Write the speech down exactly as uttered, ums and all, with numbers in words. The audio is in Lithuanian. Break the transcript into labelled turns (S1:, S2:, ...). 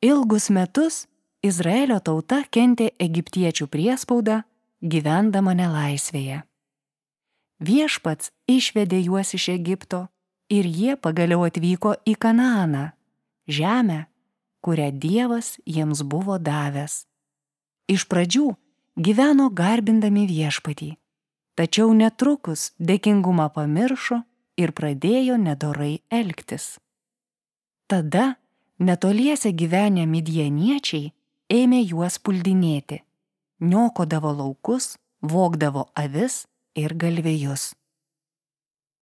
S1: Ilgus metus Izraelio tauta kentė egiptiečių priespaudą, gyvendama nelaisvėje. Viešpats išvedė juos iš Egipto ir jie pagaliau atvyko į Kanaaną, žemę, kurią Dievas jiems buvo davęs. Iš pradžių gyveno garbindami Viešpatį, tačiau netrukus dėkingumą pamiršo ir pradėjo nedorai elgtis. Tada netoliese gyvenę midjaniečiai ėmė juos puldinėti, niokodavo laukus, vogdavo avis ir galvijus.